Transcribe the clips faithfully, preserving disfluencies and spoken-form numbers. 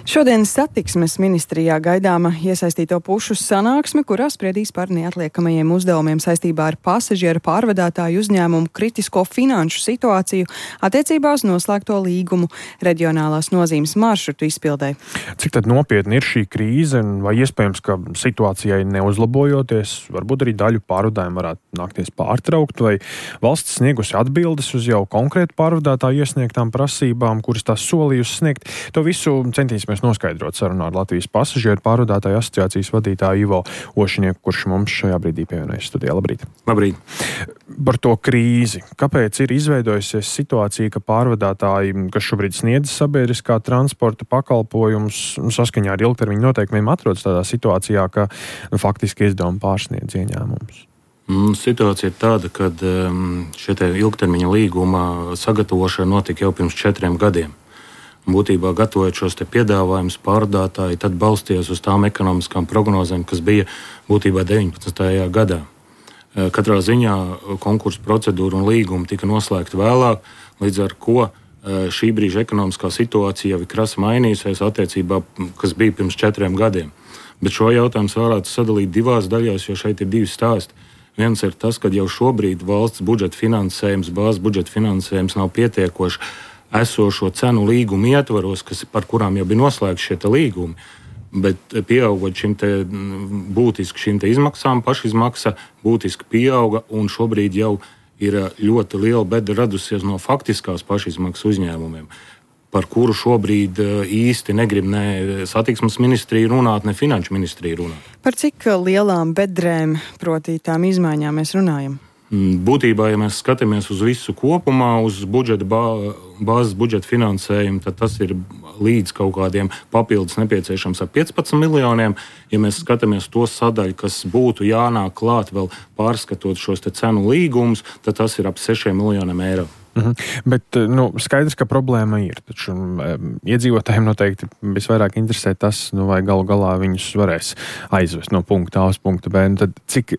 Šodien satiksmes ministrijā gaidāma iesaistīto pušu sanāksme, kurā spriedīs par neatliekamajiem uzdevumiem saistībā ar pasažieru pārvadātāju uzņēmumu kritisko finanšu situāciju attiecībā uz noslēgto līgumu reģionālās nozīmes maršrutu izpildē. Cik tad nopietni ir šī krīze, vai iespējams, ka situācijai neuzlabojoties, varbūt arī daļu pārvadājumu varētu nākties pārtraukt, vai valsts sniegusi atbildes uz jau konkrētu pārvadātāju iesniegtām prasībām, kuras tās solījusi sniegt? To visu centīsimies noskaidrot sarunā ar Latvijas pasažieru pārvadātāju asociācijas vadītāju Ivo Ošinieku, kurš mums šajā brīdī pievienojas studijā. Labrīt! Labrīt! Par to krīzi. Kāpēc ir izveidojusies situācija, ka pārvadātāji, kas šobrīd sniedz sabiedriskā transporta pakalpojumus, saskaņā ar ilgtermiņa noteikumiem atrodas tādā situācijā, ka nu, faktiski izdevumi pārsniedz ieņēmumus? Situācija ir tāda, ka šie ilgtermiņa līguma sagatavošana notika jau pirms četriem gadiem. Būtībā gatavojot šos te piedāvājumus pārvadātāji, tad balstījās uz tām ekonomiskām prognozēm, kas bija būtībā deviņpadsmitajā gadā. Katrā ziņā konkursu procedūra un līguma tika noslēgta vēlāk, līdz ar ko šī brīža ekonomiskā situācija jau ir krasi mainījusies attiecībā, kas bija pirms četriem gadiem. Bet šo jautājumu varētu sadalīt divās daļās, jo šeit ir divi stāsti. Viens ir tas, ka jau šobrīd valsts budžeta finansējums, bāzes budžeta finansējums nav pietiekoši esošo cenu līgumu ietvaros, kas, par kurām jau bija noslēgti šie līgumi, bet pieaugot šim te būtiski šīm te izmaksām, pašizmaksa būtiski pieauga, un šobrīd jau ir ļoti liela beda radusies no faktiskās pašizmaksas uzņēmumiem, par kuru šobrīd īsti negrib ne satiksmes ministrija runāt, ne finanšu ministrija runāt. Par cik lielām bedrēm, proti tām izmaiņām mēs runājam? Būtībā, ja mēs skatāmies uz visu kopumā, uz budžeta bā, bāzes budžeta finansējumu, tad tas ir līdz kaut kādiem papildus nepieciešams ar piecpadsmit miljoniem. Ja mēs skatāmies to sadaļu, kas būtu jānāk klāt vēl pārskatot šos te cenu līgumus, tad tas ir ap sešiem miljoniem eiro. Mhm. Bet nu, skaidrs, ka problēma ir. Taču iedzīvotājiem noteikti visvairāk interesē tas, nu, vai galu galā viņus varēs aizvest no punkta A uz punktu B. Tad cik,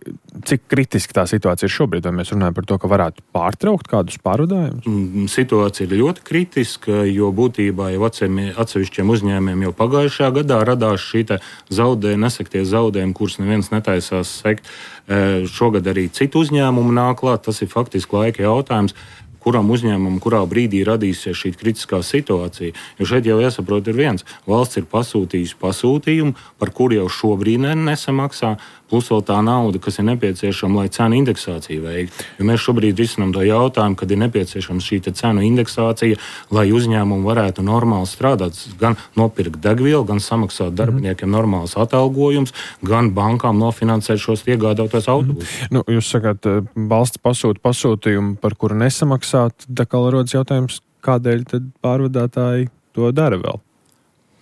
cik kritiski tā situācija ir šobrīd? Vai mēs runājam par to, ka varētu pārtraukt kādus pārvadājumus? Situācija ir ļoti kritiska, jo būtībā jau atsevišķiem uzņēmumiem jau pagājušajā gadā radās šī zaudējuma, nesektie zaudējumi, kurus neviens netaisās sekt. Šogad arī citu uzņēmumu nāk klāt. Tas ir faktiski laika jautājums, kuram uzņēmumam, kurā brīdī radīsies šī kritiskā situācija. Jo šeit jau jāsaprot ir viens. Valsts ir pasūtījusi pasūtījumu, par kuru jau šobrīd nesamaksā, plus vēl tā nauda, kas ir nepieciešama, lai cenu indeksāciju veiktu. Jo mēs šobrīd risinām to jautājumu, kad ir nepieciešama šī cenu indeksācija, lai uzņēmumi varētu normāli strādāt, gan nopirkt degvielu, gan samaksāt darbiniekiem normāls atalgojums, gan bankām nofinansēt šos iegādātos autobusus. Nu, jūs sakāt, valsts pasūta pasūtījumu, par kuru nesamaksāt, tā kā rodas jautājums, kādēļ tad pārvadātāji to dara vēl?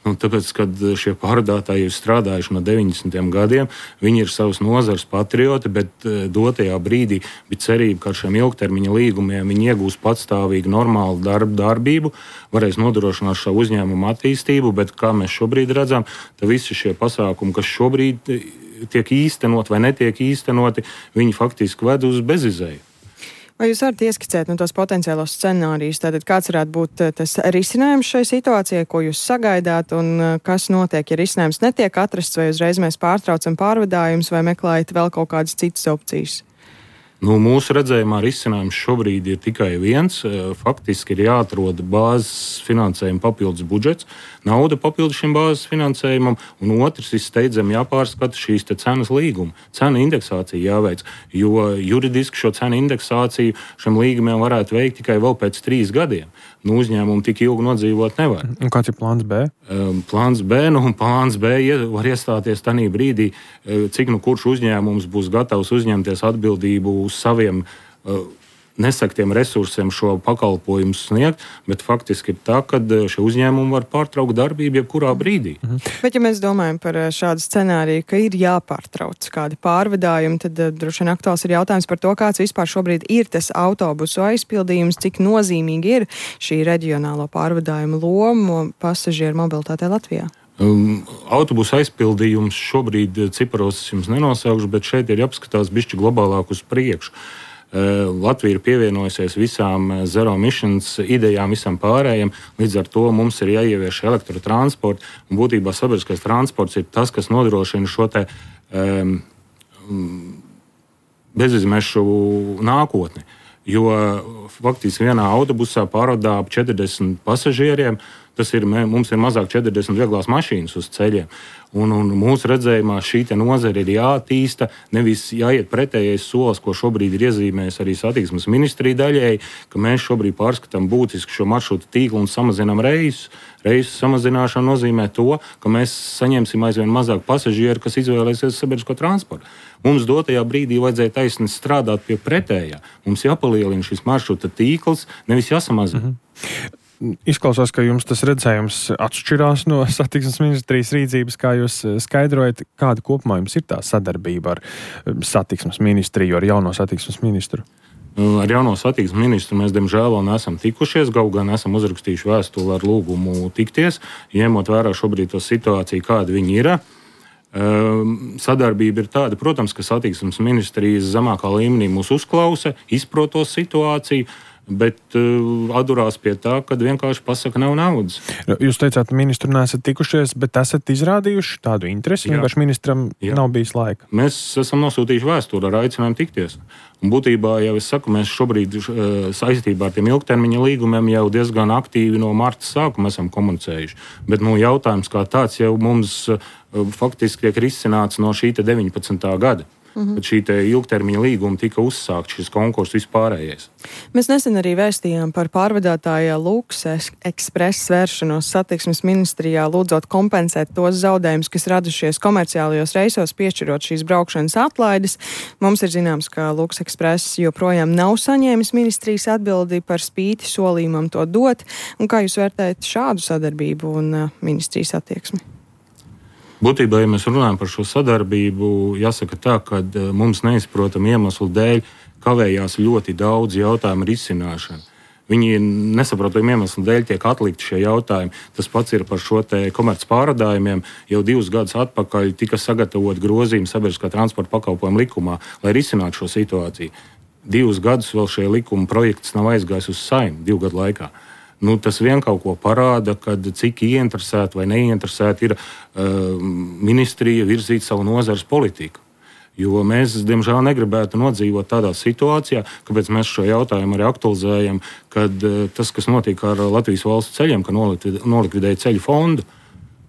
Un tāpēc, kad šie pārvadātāji ir strādājuši no deviņdesmitiem gadiem, viņi ir savas nozares patrioti, bet dotajā brīdī bija cerība, ka ar šiem ilgtermiņa līgumiem viņi iegūs patstāvīgu normālu darbu, darbību, varēs nodrošināt šo uzņēmumu attīstību, bet kā mēs šobrīd redzam, tad visi šie pasākumi, kas šobrīd tiek īstenot vai netiek īstenoti, viņi faktiski ved uz bezizēju. Vai jūs varat ieskicēt no tos potenciālos scenārijus? Tātad kāds varētu būt tas risinājums šai situācijai, ko jūs sagaidāt, un kas notiek, ja risinājums netiek atrasts, vai uzreiz mēs pārtraucam pārvadājumus, vai meklējat vēl kaut kādas citas opcijas? Nu, mūsu redzējumā risinājums šobrīd ir tikai viens. Faktiski ir jāatrod bāzes finansējuma papildus budžets, nauda papildus šim bāzes finansējumam, un otrs ir steidzami jāpārskata šīs te cenas līguma. Cenu indeksācija jāveic, jo juridiski šo cenu indeksāciju šiem līgumiem varētu veikt tikai vēl pēc trīs gadiem. Nu, uzņēmumu tik ilgi nodzīvot nevar. Un kāds ir plāns B? Plāns B, nu, un plāns B var iestāties tanī brīdī, cik nu kurš uzņēmums būs gatavs uzņemties atbildību uz saviem uh, nesaktiem resursiem šo pakalpojumu sniegt, bet faktiski ir tā, ka šie uzņēmumi var pārtraukt darbību jebkurā brīdī. Mhm. Bet ja mēs domājam par šādu scenāriju, ka ir jāpārtrauc kādi pārvadājumi, tad droši vien aktuāls ir jautājums par to, kāds vispār šobrīd ir tas autobusu aizpildījums, cik nozīmīgi ir šī reģionālo pārvadājumu loma pasažieru mobilitātē Latvijā. Um, autobusu aizpildījums šobrīd ciparos es jums nenosaukšu, bet šeit ir jāapskatās bišķi globālāk uz priekšu. Latvija ir pievienojusies visām zero emissions idejām, visam pārējiem. Līdz ar to mums ir jāievieš elektrotransports. Un būtībā sabiedriskais transports ir tas, kas nodrošina šo te um, bezizmešu nākotni. Jo faktiski vienā autobusā pārvadā ap četrdesmit pasažieriem. Tas ir, mums ir mazāk četrdesmit vieglās mašīnas uz ceļiem. Un, un mūsu redzējumā šī nozare ir jāattīsta, nevis jāiet pretējais solis, ko šobrīd ir iezīmējis arī satiksmes ministrija daļēji, ka mēs šobrīd pārskatām būtiski šo maršrutu tīklu un samazinām reisus. Reisu samazināšana nozīmē to, ka mēs saņemsim aizvien mazāk pasažieru, kas izvēlēsies sabiedrisko transportu. Mums dotajā brīdī vajadzēja taisni strādāt pie pretējā. Mums jāpalielina šis maršruta tīkls, nevis jāsamazina. Mhm. Izklausās, ka jums tas redzējums atšķirās no satiksmes ministrijas rīcības, kā jūs skaidrojat, kāda kopumā jums ir tā sadarbība ar satiksmes ministriju, ar jauno satiksmes ministru? Ar jauno satiksmes ministru mēs, diemžēl, vēl neesam tikušies, kaut gan esam uzrakstījuši vēstuli ar lūgumu tikties, ņemot vērā šobrīd to situāciju, kāda viņi ir. Sadarbība ir tāda, protams, ka satiksmes ministrijas zemākā līmenī mūs uzklausa, izprot to situāciju, bet uh, atdurās pie tā, kad vienkārši pasaka, nav naudas. Jūs teicāt, ministru neesat tikušies, bet esat izrādījuši tādu interesi, vienkārši ministram Jā. Nav bijis laika. Mēs esam nosūtījuši vēstuli ar aicinājumu tikties. Un būtībā, jau es saku, mēs šobrīd uh, saistībā ar tiem ilgtermiņa līgumiem jau diezgan aktīvi no marta sākuma esam komunicējuši. Bet nu, jautājums kā tāds jau mums uh, faktiski tiek risināts no šī deviņpadsmitā gada. Mm-hmm. Šī ilgtermiņa līguma tika uzsākt šis konkurss vispārējais. Mēs nesen arī vēstījām par pārvadātāja Lux Express vēršanos satiksmes ministrijā, lūdzot kompensēt tos zaudējumus, kas radušies komerciālajos reisos, piešķirot šīs braukšanas atlaides. Mums ir zināms, ka Lux Express joprojām nav saņēmis ministrijas atbildi par spīti solījumam to dot. Un kā jūs vērtējat šādu sadarbību un uh, ministrijas attieksmi? Būtībā, ja mēs runājam par šo sadarbību, jāsaka tā, ka mums neizprotam iemeslu dēļ kavējās ļoti daudz jautājumu risināšanu. Viņi nesaprotam iemeslu dēļ tiek atlikti šie jautājumi. Tas pats ir par šo te komerc pārvadājumiem. Jau divus gadus atpakaļ tika sagatavot grozījumi sabiedriskā transporta pakalpojumu likumā, lai risinātu šo situāciju. Divus gadus vēl šie likuma projekts nav aizgājis uz Saeimu, divu gadu laikā. Nu, tas vien kaut ko parāda, kad cik ieinteresēti vai neieinteresēti ir uh, ministrija virzīt savu nozares politiku. Jo mēs, diemžēl, negribētu nodzīvot tādā situācijā, kāpēc mēs šo jautājumu arī aktualizējam, kad uh, tas, kas notiek ar Latvijas valsts ceļiem, ka nolikvidēja ceļu fondu,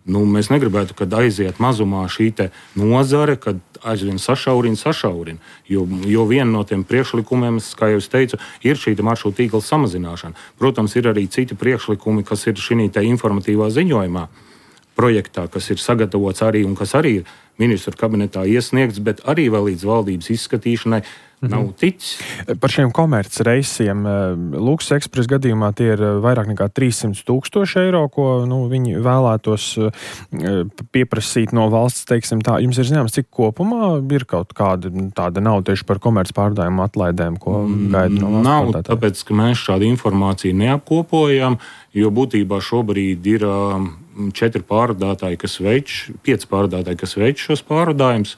nu, mēs negribētu, kad aiziet mazumā šī te nozare, kad aizvien sašaurina, sašaurina. Jo, jo viena no tiem priekšlikumiem, kā jau es teicu, ir šī maršruta tīkla samazināšana. Protams, ir arī citi priekšlikumi, kas ir šī te informatīvā ziņojumā projektā, kas ir sagatavots arī un kas arī ir ministru kabinetā iesniegts, bet arī vēl līdz valdības izskatīšanai nav ticis. Par šiem komerc reisiem Lux Express gadījumā tie ir vairāk nekā trīssimti tūkstoši eiro, ko nu, viņi vēlētos pieprasīt no valsts, teiksim tā. Jums ir zināms, cik kopumā ir kaut kāda tāda nauda tieši par komerc pārvadājumu atlaidēm, ko gaida no valsts? Nav, tāpēc, ka mēs šādu informāciju neapkopojam, jo būtībā šobrīd ir četri pārvadātāji, kas veic, pieci pārvadātāji, kas veic šos pārvadājumus.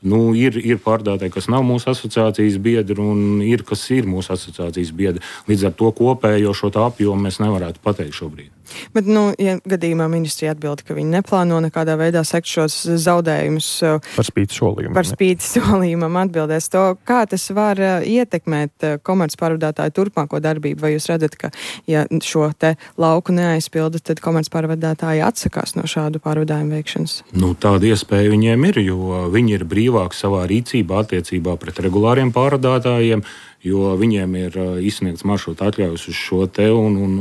Nu, ir, ir pārvadātāji, kas nav mūsu asociācijas biedri, un ir, kas ir mūsu asociācijas biedri. Līdz ar to kopējo šo apjomu mēs nevarētu pateikt šobrīd. Bet, nu, ja gadījumā ministrija atbild, ka viņi neplāno nekādā veidā sekt šos zaudējumus par spīti solījumam, par spīti solījumam atbildēs to, kā tas var ietekmēt komercpārvadātāju turpmāko darbību, vai jūs redzat, ka, ja šo te lauku neaizpilda, tad komercpārvadātāji atsakās no šādu pārvadājumu veikšanas? Nu, tāda iespēja viņiem ir, jo viņi ir brīvāki savā rīcībā attiecībā pret regulāriem pārvadātājiem, jo viņiem ir izsniegts maršruta atļaujas uz šo te, un, un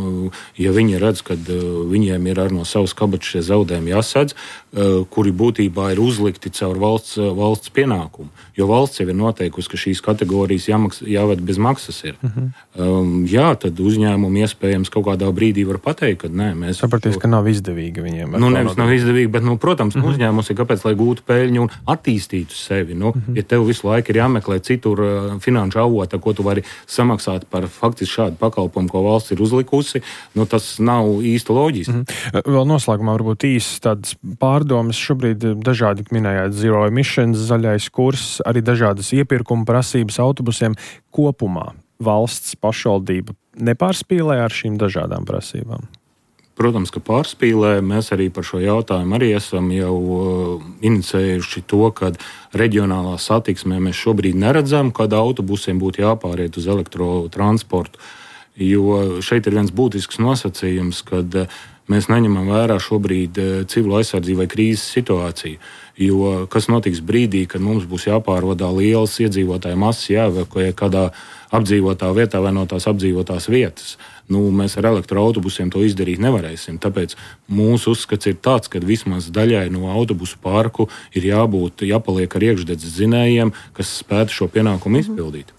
ja viņi redz, ka viņiem ir ar no savas kabatas šie zaudējumi jāsadz, kuri būtībā ir uzlikti caur valsts, valsts pienākumu, jo valsts jau ir noteikusi, ka šīs kategorijas jāmaks, jāved bez maksas ir. Uh-huh. Um, jā, tad uzņēmumi iespējams kaut kādā brīdī var pateikt, ka nē, mēs... Sapratīs, ka nav izdevīgi viņiem. Nu, nevis nav izdevīgi, bet, nu, protams, uh-huh. uzņēmums ir kāpēc, lai gūtu peļņu un attīstītu sevi. Nu, uh-huh. Ja tev visu laiku ir jāmeklē citur uh, finanšu avota, ko ko tu vari samaksāt par faktiski šādu pakalpojumu, ko valsts ir uzlikusi, nu, tas nav īsti loģiski. Mm-hmm. Vēl noslēgumā varbūt īsi tādas pārdomas. Šobrīd dažādi minējāt zero emissions, zaļais kurs, arī dažādas iepirkuma prasības autobusiem kopumā. Valsts pašvaldība nepārspīlē ar šīm dažādām prasībām? Protams, ka pārspīlē. Mēs arī par šo jautājumu arī esam jau uh, inicējuši to, ka reģionālā satiksmē mēs šobrīd neredzam, kad autobusiem būtu jāpāriet uz elektrotransportu. Jo šeit ir viens būtisks nosacījums, kad uh, mēs neņemam vērā šobrīd uh, civilo aizsardzību vai krīzes situāciju. Jo kas notiks brīdī, kad mums būs jāpārvadā lielas iedzīvotāju masas, jāevakuē kādā apdzīvotā vietā vai no tās apdzīvotās vietas. Nu, mēs ar elektroautobusiem to izdarīt nevarēsim. Tāpēc mūsu uzskats ir tāds, ka vismaz daļai no autobusu parku ir jābūt, jāpaliek ar iekšdedzes dzinējiem, kas spētu šo pienākumu izpildīt.